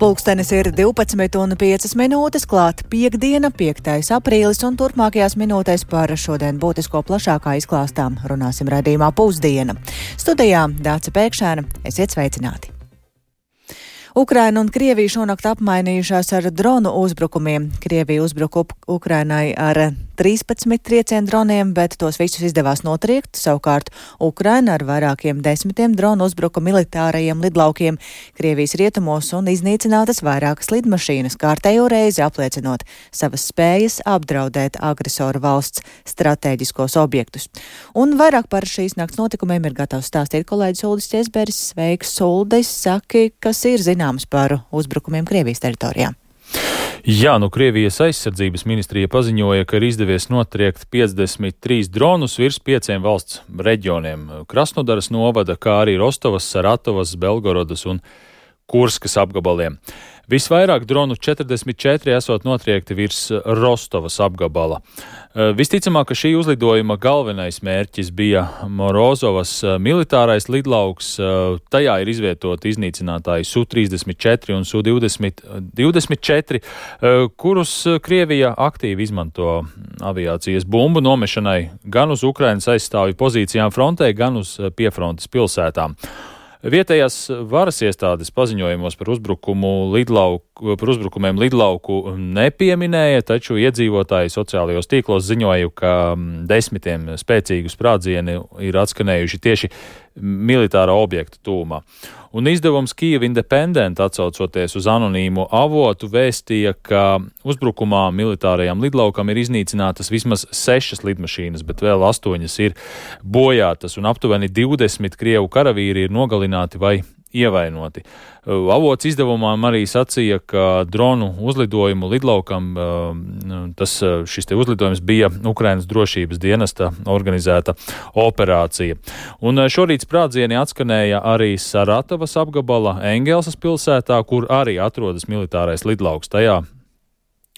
Pulkstenis ir 12:05, klāt piektdiena, 5. aprīlis, un turpmākajās minūtēs par šodien būtisko plašākā izklāstā runāsim raidījumā Pusdiena. Studijā Dāce Pēkšēna, esiet sveicināti! Ukraina un Krievija šonakt apmainījušās ar dronu uzbrukumiem. Krievija uzbruka Ukrainai ar 13 triecienu droniem, bet tos visus izdevās notriekt. Savukārt Ukraina ar vairākiem desmitiem dronu uzbruka militārajiem lidlaukiem Krievijas rietumos un iznīcinātas vairākas lidmašīnas, kārtējo reizi apliecinot savas spējas apdraudēt agresoru valsts stratēģiskos objektus. Un vairāk par šīs nakts notikumiem ir gatavs stāstīt kolēģis Uldis Ķesberis. Sveiks, Uldis! Saki, kas ir zināms par uzbrukumiem Krievijas teritorijā? Jā, Krievijas aizsardzības ministrija paziņoja, ka ir izdevies notriekt 53 dronus virs 5 valsts reģioniem - Krasnodaras novada, kā arī Rostovas, Saratovas, Belgorodas un Kurskas apgabaliem. Visvairāk dronu 44 esot notriekti virs Rostovas apgabala. Visticamāk, ka šī uzlidojuma galvenais mērķis bija Morozovas militārais lidlauks. Tajā ir izvietoti iznīcinātāji Su-34 un Su-24, kurus Krievija aktīvi izmanto aviācijas bumbu nomešanai gan uz Ukrainas aizstāvju pozīcijām frontē, gan uz piefrontes pilsētām. Vietējās varas iestādes paziņojumos par uzbrukumiem lidlauku nepieminēja, taču iedzīvotāji sociālajos tīklos ziņoja, ka desmitiem spēcīgu sprādzieni ir atskanējuši tieši militāra objekta tūmā. Un izdevums Kyiv Independent, atsaucoties uz anonīmu avotu, vēstīja, ka uzbrukumā militārajam lidlaukam ir iznīcinātas vismaz 6 lidmašīnas, bet vēl 8 ir bojātas, un aptuveni 20 Krievu karavīri ir nogalināti vai ievainoti. Avots izdevumam arī sacīja, ka dronu uzlidojumu lidlaukam šis uzlidojums bija Ukrainas drošības dienesta organizēta operācija. Un šorīt sprādzieni atskanēja arī Saratovas apgabala Engelsas pilsētā, kur arī atrodas militārais lidlauks. Tajā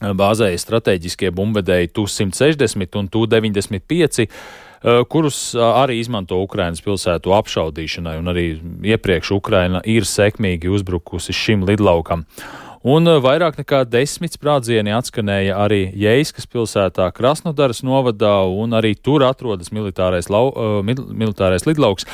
bāzēja strateģiskie bumbvedēji Tu-160 un Tu-95, kurus arī izmanto Ukrainas pilsētu apšaudīšanai, un arī iepriekš Ukraina ir sekmīgi uzbrukusi šim lidlaukam. Un vairāk nekā 10 sprādzieni atskanēja arī Jeiskas pilsētā Krasnodaras novadā, un arī tur atrodas militārais lidlauks,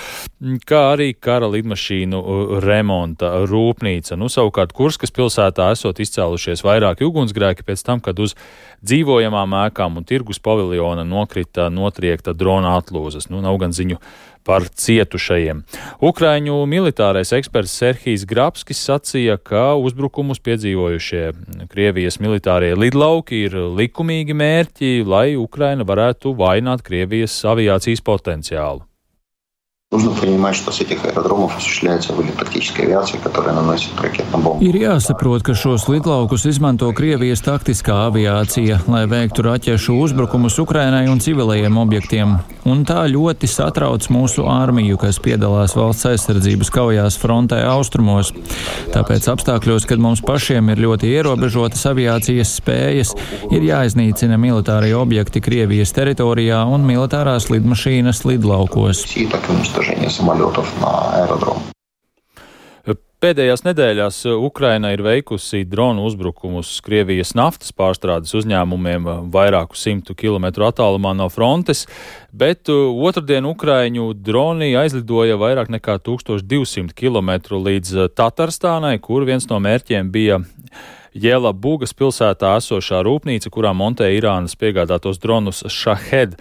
kā arī kara lidmašīnu remonta rūpnīca. Savukārt Kurskas pilsētā esot izcēlušies vairāki ugunsgrēki pēc tam, kad uz dzīvojamām ēkām un tirgus paviljona nokrita notriekta drona atlūzas. Nav gan ziņu par cietušajiem. Ukraiņu militārais eksperts Serhijs Grabskis sacīja, ka uzbrukumus piedzīvojušie Krievijas militārie lidlauki ir likumīgi mērķi, lai Ukraina varētu vainot Krievijas aviācijas potenciālu. Ir jāsaprot, ka šos lidlaukus izmanto Krievijas taktiskā aviācija, lai veiktu raķešu uzbrukumus Ukrainai un civilajiem objektiem. Un tā ļoti satrauc mūsu armiju, kas piedalās valsts aizsardzības kaujās frontē austrumos. Tāpēc apstākļos, kad mums pašiem ir ļoti ierobežotas aviācijas spējas, ir jāiznīcina militārie objekti Krievijas teritorijā un militārās lidmašīnas lidlaukos. Pēdējās nedēļās Ukraina ir veikusi dronu uzbrukumus Krievijas naftas pārstrādes uzņēmumiem vairāku 100 kilometru attālumā no frontes, bet otrdien Ukraiņu droni aizlidoja vairāk nekā 1200 kilometru līdz Tatarstānai, kur viens no mērķiem bija Jelabugas pilsētā esošā rūpnīca, kurā montē Irānas piegādātos dronus Shahed.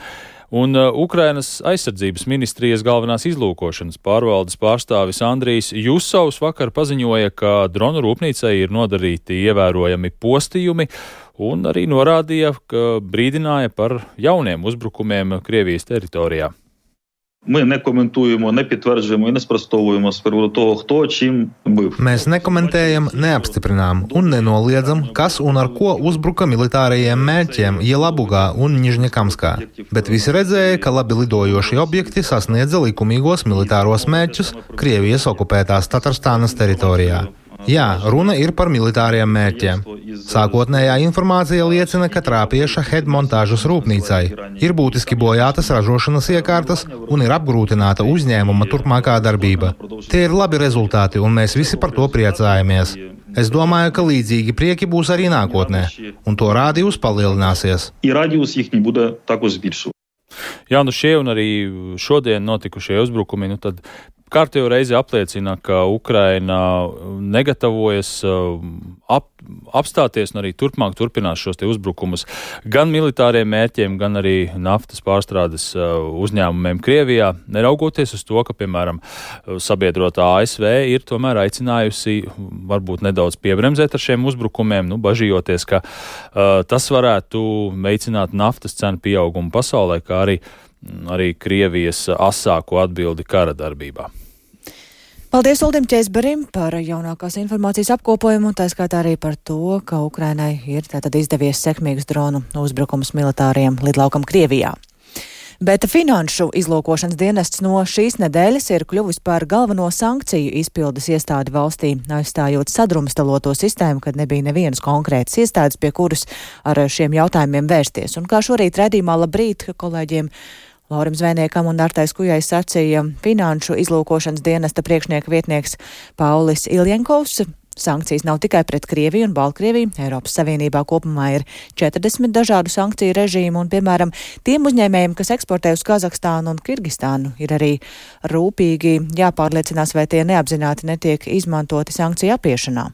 Un Ukrainas aizsardzības ministrijas galvenās izlūkošanas pārvaldes pārstāvis Andrijs Jusovs vakar paziņoja, ka dronu rūpnīcai ir nodarīti ievērojami postījumi, un arī norādīja, ka brīdināja par jauniem uzbrukumiem Krievijas teritorijā. Ми не коментуємо, не підтверджуємо і не спростовуємо з приводу того, хто чим бив. Mēs nekomentējam, neapstiprinām un nenoliedzam, kas un ar ko uzbruka militārajiem mērķiem Jelabugā un Nižņakamskā. Bet visi redzēja, ka labi lidojošie objekti sasniedza likumīgos militāros mērķus Krievijas okupētās Tatarstānas teritorijā. Jā, runa ir par militāriem mērķiem. Sākotnējā informācija liecina, ka trāpīja Shahed montāžas rūpnīcai, ir būtiski bojātas ražošanas iekārtas un ir apgrūtināta uzņēmuma turpmākā darbība. Tie ir labi rezultāti, un mēs visi par to priecājamies. Es domāju, ka līdzīgi prieki būs arī nākotnē, un to rādījums palielināsies. Jā, šie un arī šodien notikušie uzbrukumi, tad kārtējo reizi apliecina, ka Ukraina negatavojas apstāties un arī turpmāk turpinās šos te uzbrukumus gan militāriem mērķiem, gan arī naftas pārstrādes uzņēmumiem Krievijā, neraugoties uz to, ka, piemēram, sabiedrotā ASV ir tomēr aicinājusi varbūt nedaudz piebremzēt ar šiem uzbrukumiem, bažījoties, ka tas varētu veicināt naftas cenu pieaugumu pasaulē, kā arī Krievijas asāko atbildi kara darbībā. Paldies Uldim Ķēzberim par jaunākās informācijas apkopojumu, un tā skaitā arī par to, ka Ukrainai ir tātad izdevies sekmīgus dronu uzbrukums militāriem lidlaukam Krievijā. Bet finanšu izlūkošanas dienests no šīs nedēļas ir kļuvis par galveno sankciju izpildes iestādi valstī, aizstājot sadrumstaloto sistēmu, kad nebija nevienas konkrētas iestādes, pie kuras ar šiem jautājumiem vērsties. Un kā šorīt redzījumā labrīt kolēģiem Laurim Zvēniekam un Artai Skujai sacīja finanšu izlūkošanas dienesta priekšnieka vietnieks Paulis Iljenkovs. Sankcijas nav tikai pret Krieviju un Baltkrieviju. Eiropas Savienībā kopumā ir 40 dažādu sankciju režīmu, un, piemēram, tiem uzņēmējiem, kas eksportē uz Kazahstānu un Kirgistānu, ir arī rūpīgi jāpārliecinās, vai tie neapzināti netiek izmantoti sankciju apiešanā.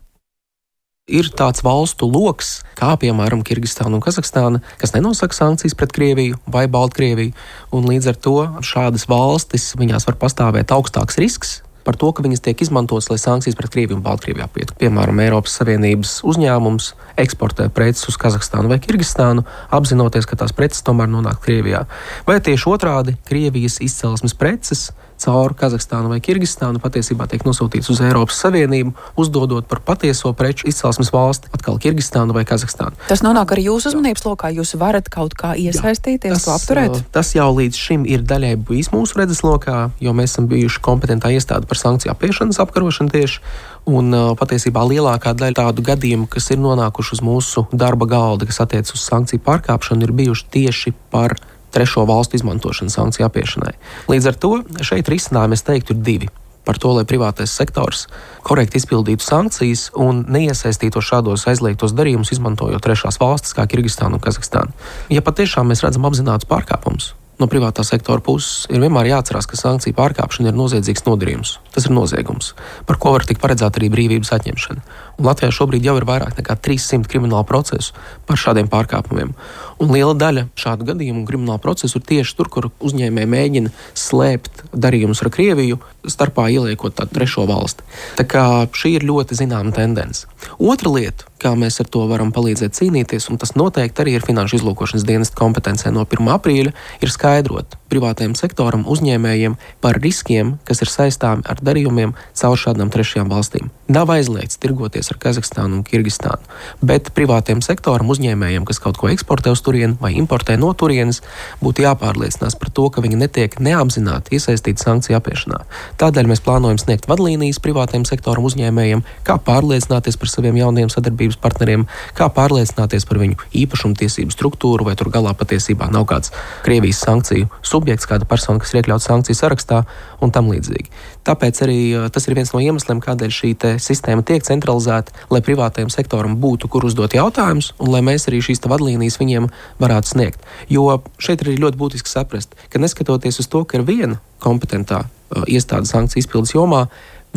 Ir tāds valstu loks, kā piemēram Kirgistāna un Kazahstāna, kas nenosaka sankcijas pret Krieviju vai Baltkrieviju, un līdz ar to šādas valstis, viņās var pastāvēt augstāks risks par to, ka viņas tiek izmantotas, lai sankcijas pret Krieviju un Baltkrieviju apietu. Piemēram, Eiropas Savienības uzņēmums eksportē preces uz Kazahstānu vai Kirgistānu, apzinoties, ka tās preces tomēr nonāk Krievijā. Vai tieši otrādi, Krievijas izcelsmes preces caur Kazahstānu vai Kirgistānu patiesībā tiek nosūtīts uz Eiropas Savienību, uzdodot par patieso preču izcelsmes valsti, atkal Kirgistānu vai Kazahstānu. Tas nonāk arī jūsu uzmanības lokā, jūs varat kaut kā iesaistīties, to apturēt? Tas jau līdz šim ir daļai bijis mūsu redzeslokā, jo mēs esam bijuši kompetentā iestāde par sankciju apiešanas apkarošanu tieši, un patiesībā lielākā daļa tādu gadījumu, kas ir nonākuši uz mūsu darba galda, kas attiec uz sankciju pārkāpšanu, ir bijuši tieši par trešo valstu izmantošanu sankciju apiešanai. Līdz ar to šeit risinājumi, es teiktu, ir divi. Par to, lai privātais sektors korekti izpildītu sankcijas un neiesaistītos šādos aizliegtos darījumus, izmantojot trešās valstis kā Kirgistānu un Kazahstānu. Ja patiešām mēs redzam apzinātus pārkāpumus no privātā sektora puses, ir vienmēr jāatcerās, ka sankciju pārkāpšana ir noziedzīgs nodarījums. Tas ir noziegums, par ko var tikt paredzēta arī brīvības atņemšana. Un Latvijā šobrīd jau ir vairāk nekā 300 kriminālu procesu par šādiem pārkāpumiem. Un liela daļa šādu gadījumu un kriminālu procesu ir tieši tur, kur uzņēmēji mēģina slēpt darījumus ar Krieviju, starpā ieliekot tādu trešo valsti. Tā kā šī ir ļoti zināma tendence. Otra lieta, kā mēs ar to varam palīdzēt cīnīties, un tas noteikti arī ir finanšu izlūkošanas dienesta kompetencē no 1. aprīļa, ir skaidrot privātajam sektoram, uzņēmējiem par riskiem, kas ir saistāmi ar darījumiem caur šādām trešajām valstīm. Nav aizliegts tirgoties ar Kazahstānu un Kirgistānu, bet privātajam sektoram, uzņēmējiem, kas kaut ko eksportē uz turieni vai importē no turienes, būtu jāpārliecinās par to, ka viņi netiek neapzināti iesaistīti sankciju apiešanā. Tādēļ mēs plānojam sniegt vadlīnijas privātajam sektoram, uzņēmējiem, kā pārliecināties par saviem jauniem sadarbības partneriem, kā pārliecināties par viņu īpašumtiesību struktūru, vai tur galā patiesībā nav kāds Krievijas sankciju subjekts, kāda persona, kas ir iekļauts sankciju sarakstā un tam līdzīgi. Tāpēc arī tas ir viens no iemesliem, kādēļ šī sistēma tiek centralizēta, lai privātajam sektoram būtu, kur uzdot jautājumus, un lai mēs arī šīs vadlīnijas viņiem varētu sniegt. Jo šeit ir ļoti būtiski saprast, ka neskatoties uz to, ka ir viena kompetentā iestāde sankciju izpildes jomā,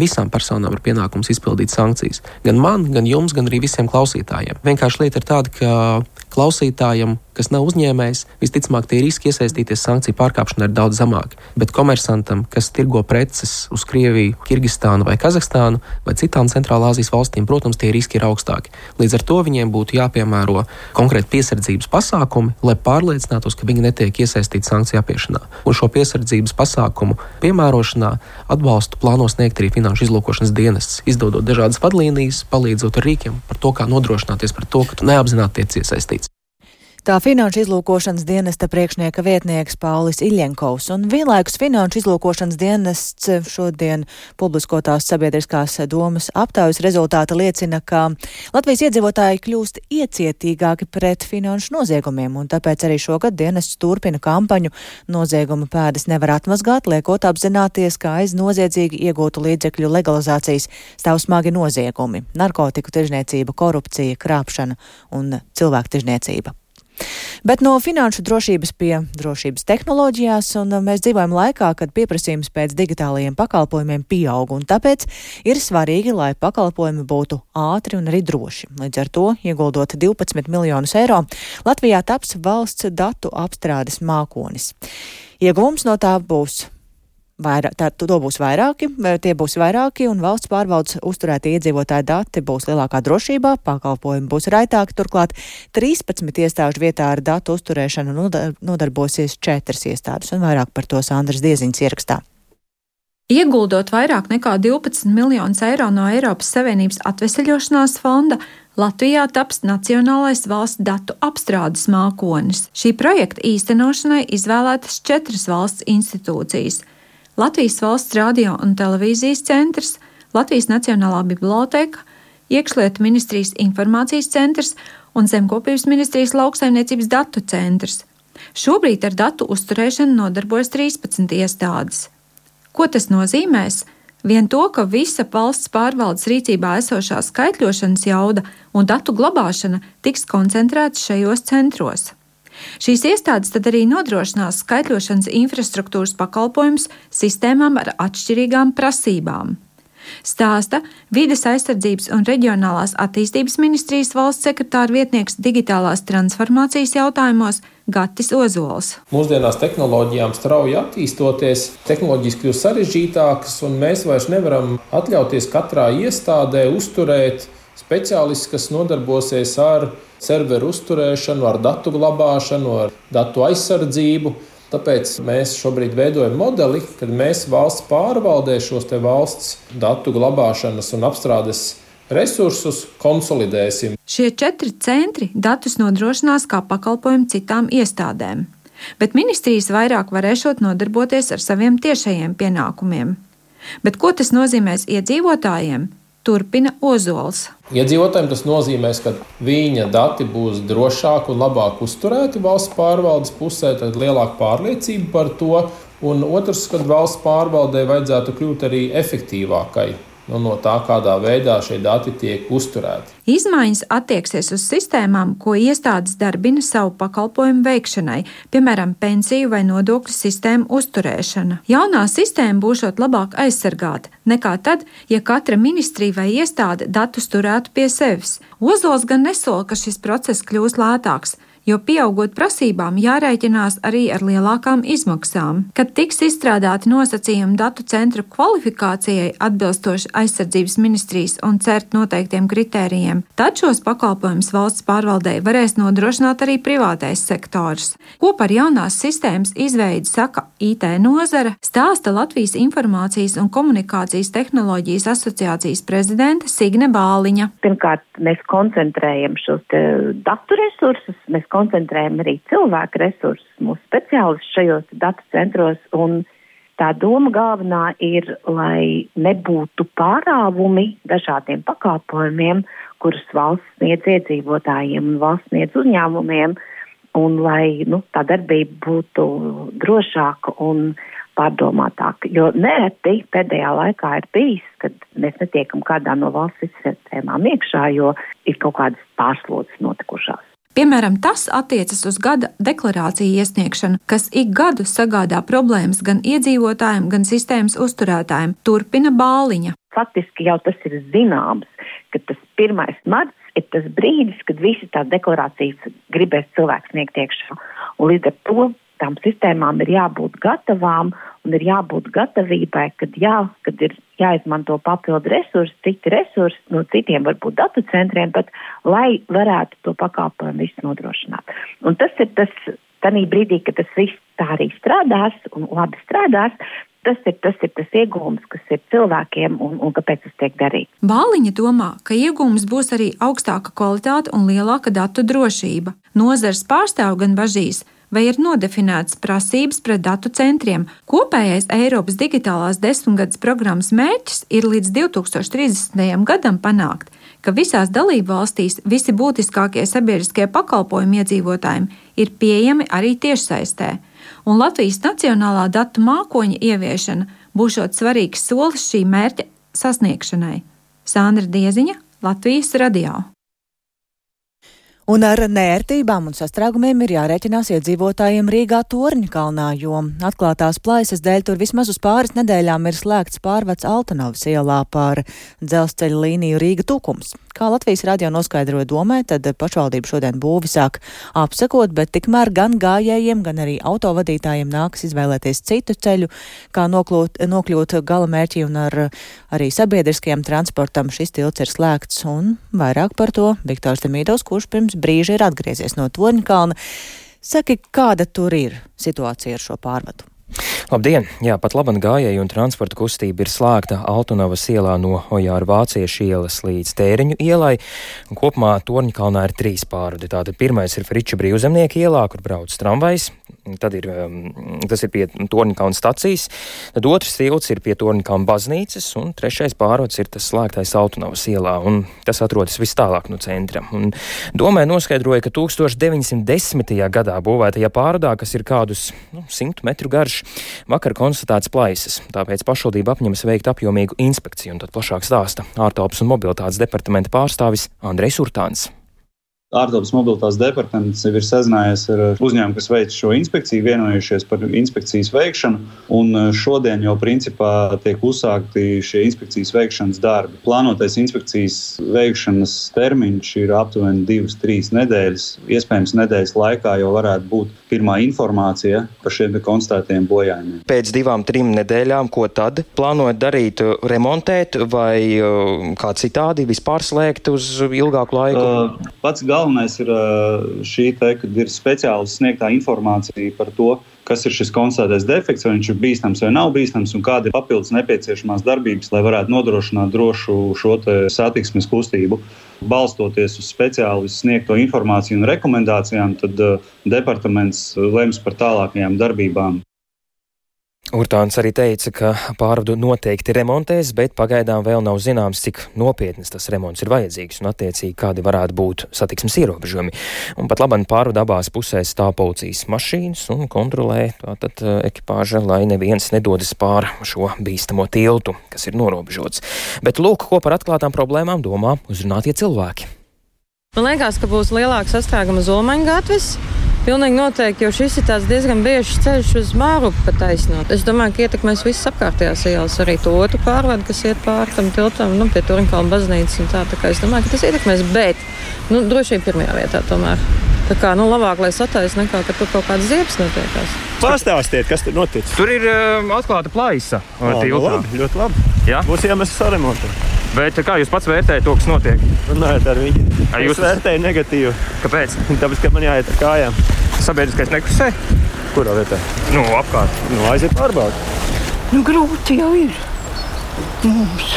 visām personām ir pienākums izpildīt sankcijas. Gan man, gan jums, gan arī visiem klausītājiem. Vienkārši lieta ir tāda, ka klausītājam, kas nav uzņēmējs, visticamāk tie riski iesaistīties sankciju pārkāpšanā ir daudz zemāki. Bet komersantam, kas tirgo preces uz Krieviju, Kirgistānu vai Kazahstānu vai citām Centrālā Āzijas valstīm, protams, tie riski ir augstāki. Līdz ar to viņiem būtu jāpiemēro konkrēti piesardzības pasākumi, lai pārliecinātos, ka viņi netiek iesaistīti sankciju apiešanā. Un šo piesardzības pasākumu piemērošanā atbalstu plāno sniegt arī finanšu izlūkošanas dienests, izdodot dažādas vadlīnijas, palīdzot ar rīkiem par to, kā nodrošināties par to, ka tu neapzināti tiec iesaistīts. Tā Finanšu izlūkošanas dienesta priekšnieka vietnieks Paulis Iļenkovs un vienlaikus Finanšu izlūkošanas dienests šodien publiskotās sabiedriskās domas aptaujas rezultāti liecina, ka Latvijas iedzīvotāji kļūst iecietīgāki pret finanšu noziegumiem, un tāpēc arī šogad dienests turpina kampaņu Nozieguma pēdas nevar atmazgāt, liekot apzināties, ka aiz noziedzīgi iegūtu līdzekļu legalizācijas stāv smagi noziegumi - narkotiku tirzniecība, korupcija, krāpšana un cilvēku tirzniecība. Bet no finanšu drošības pie drošības tehnoloģijās, un mēs dzīvojam laikā, kad pieprasījums pēc digitālajiem pakalpojumiem pieaug, un tāpēc ir svarīgi, lai pakalpojumi būtu ātri un arī droši. Līdz ar to, ieguldot 12 miljonus eiro, Latvijā taps valsts datu apstrādes mākonis. Ieguvums no tā būs tie būs vairāki, un valsts pārvaldes uzturētie iedzīvotāju dati būs lielākā drošībā, pakalpojumi būs raitāki, turklāt 13 iestāžu vietā ar datu uzturēšanu nodarbosies 4 iestādes, un vairāk par to Sandras Dieziņas ierakstā. Ieguldot vairāk nekā 12 miljonus eiro no Eiropas Savienības atveseļošanās fonda, Latvijā taps Nacionālais valsts datu apstrādes mākonis. Šī projekta īstenošanai izvēlētas 4 valsts institūcijas – Latvijas valsts radio un televīzijas centrs, Latvijas Nacionālā biblioteka, Iekšlietu ministrijas informācijas centrs un Zemkopības ministrijas lauksaimniecības datu centrs. Šobrīd ar datu uzturēšanu nodarbojas 13 iestādes. Ko tas nozīmēs? Vien to, ka visa valsts pārvaldes rīcībā esošā skaitļošanas jauda un datu glabāšana tiks koncentrētas šajos centros. Šīs iestādes tad arī nodrošinās skaitļošanas infrastruktūras pakalpojumus sistēmām ar atšķirīgām prasībām. Stāsta Vides aizsardzības un reģionālās attīstības ministrijas valsts sekretāra vietnieks digitālās transformācijas jautājumos Gatis Ozols. Mūsdienās tehnoloģijām strauji attīstoties, tehnoloģijas kļūst sarežģītākas, un mēs vairs nevaram atļauties katrā iestādē uzturēt speciālists, kas nodarbosies ar serveru uzturēšanu, ar datu glabāšanu, ar datu aizsardzību. Tāpēc mēs šobrīd veidojam modeli, kad mēs valsts pārvaldē šos te valsts datu glabāšanas un apstrādes resursus konsolidēsim. Šie 4 centri datus nodrošinās kā pakalpojumu citām iestādēm, bet ministrijas vairāk varēšot nodarboties ar saviem tiešajiem pienākumiem. Bet ko tas nozīmēs iedzīvotājiem? Turpina Ozols. Iedzīvotājiem tas nozīmēs, ka viņa dati būs drošāk un labāk uzturēti valsts pārvaldes pusē, tad lielāka pārliecība par to. Un otrs, kad valsts pārvaldē vajadzētu kļūt arī efektīvākai no tā, kādā veidā šie dati tiek uzturēti. Izmaiņas attieksies uz sistēmām, ko iestādes darbina savu pakalpojumu veikšanai, piemēram, pensiju vai nodokļu sistēmu uzturēšana. Jaunā sistēma būšot labāk aizsargāta nekā tad, ja katra ministrija vai iestāde datus turētu pie sevis. Ozols gan nesola, ka šis process kļūs lētāks, jo pieaugot prasībām jārēķinās arī ar lielākām izmaksām. Kad tiks izstrādāti nosacījumi datu centru kvalifikācijai atbilstoši aizsardzības ministrijas un CERT noteiktiem kritērijiem, tad šos pakalpojumus valsts pārvaldei varēs nodrošināt arī privātais sektors. Ko par jaunās sistēmas izveidi saka IT nozare, stāsta Latvijas Informācijas un komunikācijas tehnoloģijas asociācijas prezidente Signe Bāliņa. Pirmkārt, mēs koncentrējam šos datu resursus, mēs koncentrējam arī cilvēku resursus, mūsu speciālistus šajos datu centros, un tā doma galvenā ir, lai nebūtu pārāvumi dažādiem pakalpojumiem, kurus valsts sniedz iedzīvotājiem un valsts sniedz uzņēmumiem, un lai tā darbība būtu drošāka un pārdomātāka. Jo nereti pēdējā laikā ir bijis, kad mēs netiekam kādā no valsts sistēmām iekšā, jo ir kaut kādas pārslodzes notikušās. Piemēram, tas attiecas uz gada deklarāciju iesniegšanu, kas ik gadu sagādā problēmas gan iedzīvotājiem, gan sistēmas uzturētājiem, turpina Bāliņa. Faktiski jau tas ir zināms, ka tas 1. marts ir tas brīdis, kad visi tās deklarācijas gribēs cilvēks sniegt iekšā. Un līdz ar to tām sistēmām ir jābūt gatavām un ir jābūt gatavībai, kad ir jāizmanto papildu resursi, citi resursi, no citiem varbūt datu centriem, bet lai varētu to pakalpojumu visu nodrošināt. Un tas ir tas, tanī brīdī, kad tas viss tā arī strādās un labi strādās, tas ir tas iegūms, kas ir cilvēkiem un kāpēc tas tiek darīts. Bāliņa domā, ka iegūms būs arī augstāka kvalitāte un lielāka datu drošība. Nozars pārstāv gan bažīs, vai ir nodefinētas prasības pret datu centriem. Kopējais Eiropas digitālās 10-gades programmas mērķis ir līdz 2030. gadam panākt, ka visās dalību valstīs visi būtiskākie sabiedriskie pakalpojumi iedzīvotājiem ir pieejami arī tiešsaistē. Un Latvijas nacionālā datu mākoņa ieviešana būšot svarīgs solis šī mērķa sasniegšanai. Sandra Dieziņa, Latvijas radio. Un ar neērtībām un sastrēgumiem ir jārēķinās iedzīvotājiem Rīgā Torņkalnā, jo atklātās plaisas dēļ tur vismaz uz pāris nedēļām ir slēgts pārvads Altanovas ielā pār dzelzceļa līniju Rīga Tukums. Kā Latvijas radio noskaidroja Domē, tad pašvaldība šodien būvi sāk apsekot, bet tikmēr gan gājējiem, gan arī autovadītājiem nākas izvēlēties citu ceļu, kā nokļūt gala mērķi, un arī sabiedriskajam transportam šis tilts ir slēgts, un vairāk par to Viktors Demīdovs, kurš pirms brīža ir atgriezies no Torņkalna. Saki, kāda tur ir situācija ar šo pārvadu? Labdien! Jā, pat laban gājēju un transporta kustība ir slēgta Altanovas ielā no Ojāra Vāciešu ielas līdz Tēriņu ielai. Un kopumā Torņkalnā ir 3 pārvadi. Tātad pirmais ir Friča Brīvzemnieka ielā, kur brauc tramvajs. Tad tas ir pie Torņkalna stacijas. Tad otrs tilts ir pie Torņkalna baznīcas, un trešais pārvads ir tas slēgtais Altanovas ielā, un tas atrodas vis tālāk no centra. Un Domē noskaidroja, ka 1910. gadā būvētajā pārvadā, kas ir kādus 100 metru garš, vakar konstatēts plaisas, tāpēc pašvaldība apņemas veikt apjomīgu inspekciju, un tad plašāk stāsta ārtelpas un mobilitātes departamenta pārstāvis Andrejs Urtāns. Ārtelpas mobilitātes departaments ir sazinājies ar uzņēmumu, kas veic šo inspekciju, vienojušies par inspekcijas veikšanu, un šodien jau principā tiek uzsākti šie inspekcijas veikšanas darbi. Plānotais inspekcijas veikšanas termiņš ir aptuveni 2-3 nedēļas. Iespējams, nedēļas laikā jau varētu būt pirmā informācija par šiem konstatētiem bojājumiem. Pēc 2-3 nedēļām, ko tad plānojat darīt? Remontēt vai kā citādi vispār slēgt uz ilgāku laiku? Pats galvenais ir šī kad ir speciālisti sniegtā informācija par to, kas ir šis konstatētais defekts, vai viņš ir bīstams vai nav bīstams, un kāda ir papildus nepieciešamās darbības, lai varētu nodrošināt drošu šo satiksmes kustību. Balstoties uz speciālistu sniegto informāciju un rekomendācijām, tad departaments lems par tālākajām darbībām. Urtāns arī teica, ka pārvadu noteikti remontēs, bet pagaidām vēl nav zināms, cik nopietnas tas remonts ir vajadzīgs un attiecīgi kādi varētu būt satiksmes ierobežojumi. Un pat labam pārvadu abās pusēs stāv policijas mašīnas un kontrolē tātad ekipāža, lai neviens nedodas pār šo bīstamo tiltu, kas ir norobežots. Bet lūk, ko par atklātām problēmām domā uzrunātie cilvēki. Man liekas, ka būs lielāka sastrēguma uz Olmaņu gatves. Pilnīgi noteikti, jo šis ir tāds diezgan biežs ceļš uz Mārupi pa taisnot. Es domāju, ka ietekmēs visas apkārtējās ielas, arī to otru pārvadu, kas iet pāri tam tiltam, pie Torņkalna baznīcas un tā kā es domāju, ka tas ietekmēs, bet, droši vien pirmajā vietā tomēr. Tā kā, labāk, lai sataisa nekā, ka tur kaut kāds ziepes notiekās. Pastāstiet, kas tur notic? Tur ir atklāta plaisa. Labi, ļoti labi. Jā? Būs iemesls saremontēt. Bet kā jūs pats vērtējat to, kas notiek? Runājot ar viņu. Es vērtēju negatīvu. Kāpēc? Tāpēc, ka man jāiet ar kājām. Sabiedriskais nekusē? Kurā vietā? Apkārt. Aiziet pārbaudi. Grūti jau ir mums.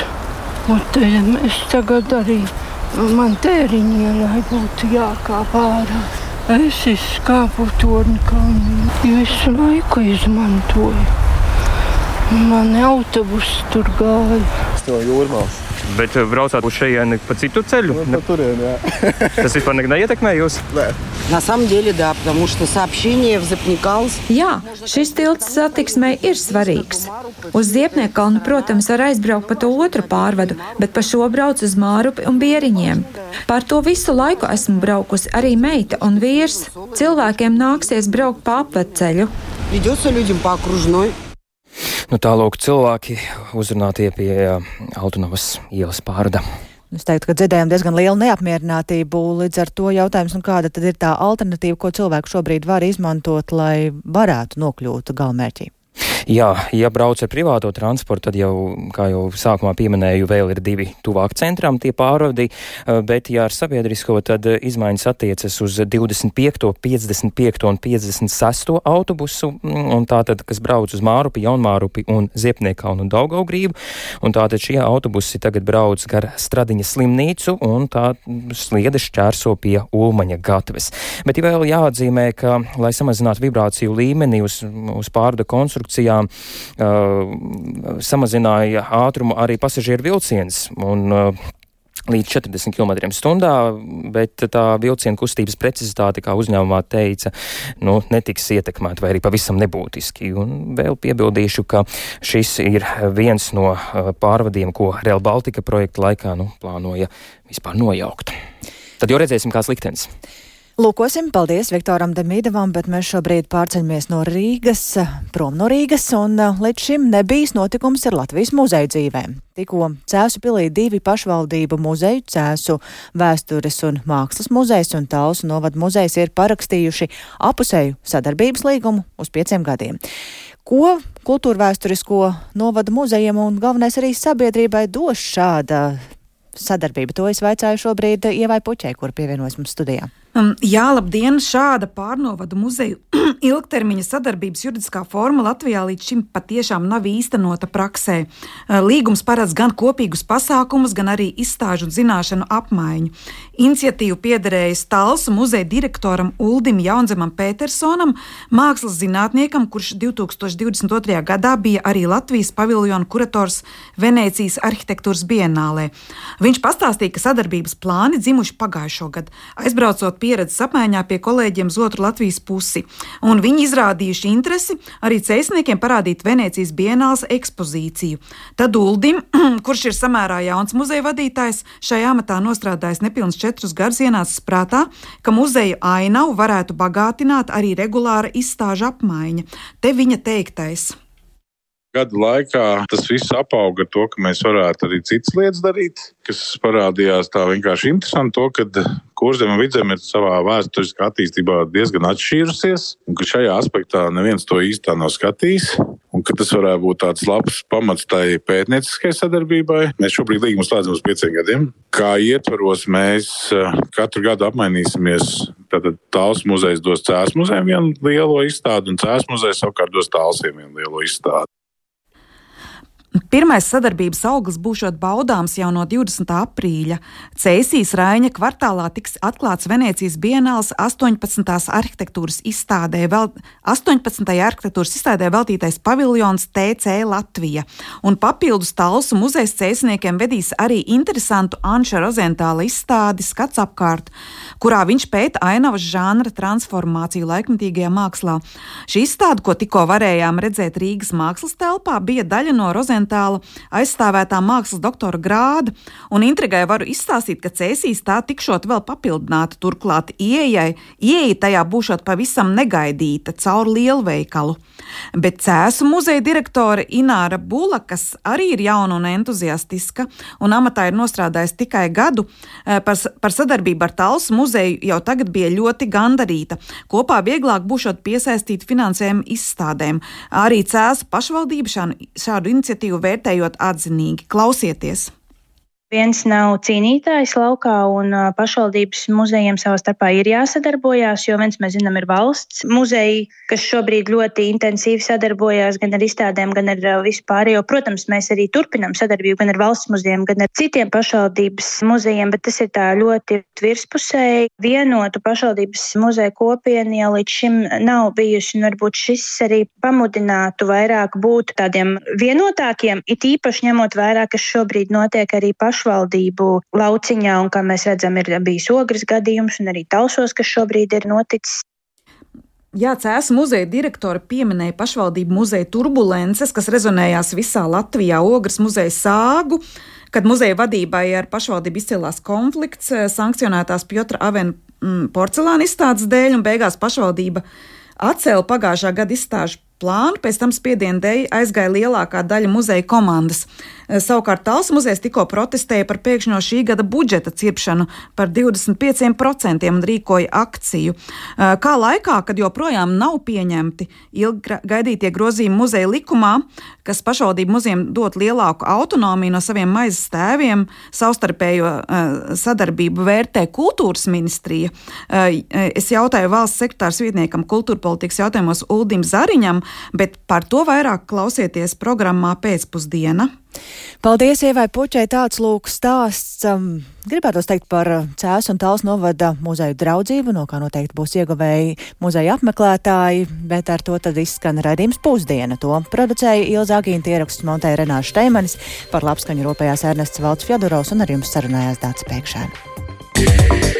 Es tagad arī man Tēriņa, lai būtu jākāp ārā. Es izskāpu Torņkalnu. Visu laiku izmantoju. Mani autobusi tur gāja. To Jūrmāls. Bet braucāt uz šejieni pa citu ceļu? По турен, jā. Tas vispār neietekmē jūs? Nē. На самом деле, да, потому что сообщение в Запникалс. Jā, šis tilts satiksmei ir svarīgs. Uz Ziepniekalnu, protams, var aizbraukt pa to otru pārvadu, bet pa šo brauc uz Mārupi un Bieriņiem. Par to visu laiku esmu braukusi arī meita un vīrs. Cilvēkiem nāksies braukt pa apvedceļu. Придется людям по окружной. Tālūk cilvēki uzrunātie pie Altanovas ielas pārvada. Es teiktu, ka dzirdējām diezgan lielu neapmierinātību, līdz ar to jautājums, kāda tad ir tā alternatīva, ko cilvēku šobrīd var izmantot, lai varētu nokļūt galamērķī? Jā, ja brauc ar privāto transportu, tad jau, kā jau sākumā pieminēju, vēl ir 2 tuvāk centram tie pārvadi, bet ja ar sabiedrisko, tad izmaiņas attiecas uz 25., 55. un 56. autobusu, un tātad, kas brauc uz Mārupi, Jaunmārupi un Ziepniekkalnu un Daugavgrību, un tātad šie autobusi tagad brauc gar Stradiņa slimnīcu, un tā sliede šķērso pie Ulmaņa gatves. Bet vēl jāatzīmē, ka, lai samazinātu vibrāciju līmeni uz pārvada konstrukcijām, samazināja ātrumu arī pasažieru vilciens, un līdz 40 km/h, bet tā vilciena kustības precizitāte, kā uzņēmumā teica, netiks ietekmēta vai arī pavisam nebūtiski. Un vēl piebildīšu, ka šis ir viens no pārvadiem, ko Rail Baltica projekta laikā plānoja vispār nojaukt. Tad jau redzēsim, kāds liktenis. Lūkosim, paldies Viktoram Demīdavam, bet mēs šobrīd pārceļamies no Rīgas, prom no Rīgas, un līdz šim nebijis notikums ar Latvijas muzeju dzīvēm. Tikko Cēsu pilī 2 pašvaldību muzeju, Cēsu vēstures un mākslas muzejs un Talsu novada muzejs ir parakstījuši apusēju sadarbības līgumu uz 5 gadiem. Ko kultūrvēsturisko novada muzejiem un galvenais arī sabiedrībai dos šāda sadarbība? To es vaicāju šobrīd Ievai Puķei, kur pievienojas mums studijā. Jā, labdien! Šāda pārnovadu muzeju ilgtermiņa sadarbības juridiskā forma Latvijā līdz šim patiešām nav īstenota praksē. Līgums paredz gan kopīgus pasākumus, gan arī izstāžu un zināšanu apmaiņu. Iniciatīvu piederējas Talsu muzeja direktoram Uldim Jaunzemam Petersonam, mākslas zinātniekam, kurš 2022. gadā bija arī Latvijas paviljona kurators Venēcijas arhitektūras bienālē. Viņš pastāstīja, ka sadarbības plāni dzimuši pagājušo gadu, aizbraucot pieredzes apmaiņā pie kolēģiem uz otru Latvijas pusi. Un viņi izrādījuši interesi arī cēsniekiem parādīt Venēcijas bienāles ekspozīciju. Tad Uldim, kurš ir samērā jauns muzeja vadītājs, šajā amatā nostrādājis nepilns 4 gadus, ienācis prātā, ka muzeja ainavu varētu bagātināt arī regulāra izstāžu apmaiņa. Te viņa teiktais. Gadu laikā tas viss apauga ar to, ka mēs varētu arī citas lietas darīt, kas parādījās tā vienkārši interesanti to, ka Kurzeme un Vidzeme ir savā vēsturiskā attīstībā diezgan atšķīrusies, un ka šajā aspektā neviens to īstā nav skatījis, un ka tas varētu būt tāds labs pamats tai pētnieciskai sadarbībai. Mēs šobrīd līgumu slēdzam uz 5 gadiem. Kā ietvaros mēs katru gadu apmainīsimies. Tātad Talsu muzejs dos Cēsu muzejam vienu lielo izstādi, un Cēsu muzejs savukārt dos Talsiem vienu lielo izstādi. Pirmais sadarbības auglis būšot baudāms jau no 20. aprīļa. Cēsīs Raiņa kvartālā tiks atklāts Venēcijas bienāles 18. arhitektūras izstādē veltītais paviljons TC Latvija. Un papildus Talsu muzejs cēsniekiem vedīs arī interesantu Anša Rozentāla izstādi Skats apkārt, kurā viņš pēta ainavas žanra transformāciju laikmetīgajā mākslā. Šī izstāde, ko tikko varējām redzēt Rīgas mākslas telpā, bija daļa no Rozentāla aizstāvētā mākslas doktora grāda, un intrigai varu izstāstīt, ka Cēsīs tā tikšot vēl papildināta, turklāt ieeja tajā būšot pavisam negaidīta caur lielveikalu. Bet Cēsu muzeja direktore Ināra Bula, kas arī ir jauna un entuziastiska, un amatā ir nostrādājis tikai gadu, par sadarbību ar Talsu muzeju jau tagad bija ļoti gandarīta. Kopā vieglāk būšot piesaistīt finansējumu izstādēm. Arī Cēsu pašvaldība šādu iniciatīvu vērtējot atzinīgi. Klausieties! Viens nav cīnītājs laukā, un pašvaldības muzejiem savā starpā ir jāsadarbojās, jo viens, mēs zinām, ir valsts muzeji, kas šobrīd ļoti intensīvi sadarbojās gan ar izstādēm, gan ar visu pārējo. Protams, mēs arī turpinām sadarbību gan ar valsts muzejiem, gan ar citiem pašvaldības muzejiem, bet tas ir tā ļoti virspusēji. Vienotu pašvaldības muzeju kopienu jau līdz šim nav bijuši, un varbūt šis arī pamudinātu vairāk būt tādiem vienotākiem, it īpaši ņemot vērā, kas šobrīd notiek arī pašvaldību lauciņā, un kā mēs redzam, ir bijis Ogres gadījums un arī Talsos, kas šobrīd ir noticis. Jā, Cēsu muzeja direktora pieminēja pašvaldību muzeja turbulences, kas rezonējās visā Latvijā, Ogres muzeja sāgu, kad muzeja vadībai ar pašvaldību izcēlās konflikts sankcionētās Pjotra Avena porcelāna izstādes dēļ, un beigās pašvaldība atcēla pagājušā gada izstāžu plānu, pēc tam spiediena dēļ aizgāja lielākā daļa muzeja komandas. Savukārt Talsu muzejs tikko protestēja par pēkšņo šī gada budžeta cirpšanu par 25% un rīkoja akciju. Kā laikā, kad joprojām nav pieņemti ilgi gaidītie grozījumi muzeja likumā, kas pašvaldību muzejiem dot lielāku autonomiju no saviem maizes tēviem, savstarpējo sadarbību vērtē kultūras ministrija. Es jautāju valsts sekretārs vietniekam kultūra politikas jautājumos Uldim Zariņam, bet par to vairāk klausieties programmā Pēcpusdiena. Paldies, Ievai Puķei, tāds lūk stāsts. Gribētos teikt par Cēsu un Talsu novada muzeju draudzību, no kā noteikti būs ieguvēji muzeja apmeklētāji, bet ar to tad izskan raidījums Pusdiena. To producēja Ilza Agīnta, ierakstus montēja Renāša Šteimanis, par labskaņu rūpējās Ernests Valds Fjodorovs un ar jums sarunājās Dāca Pēkšēna.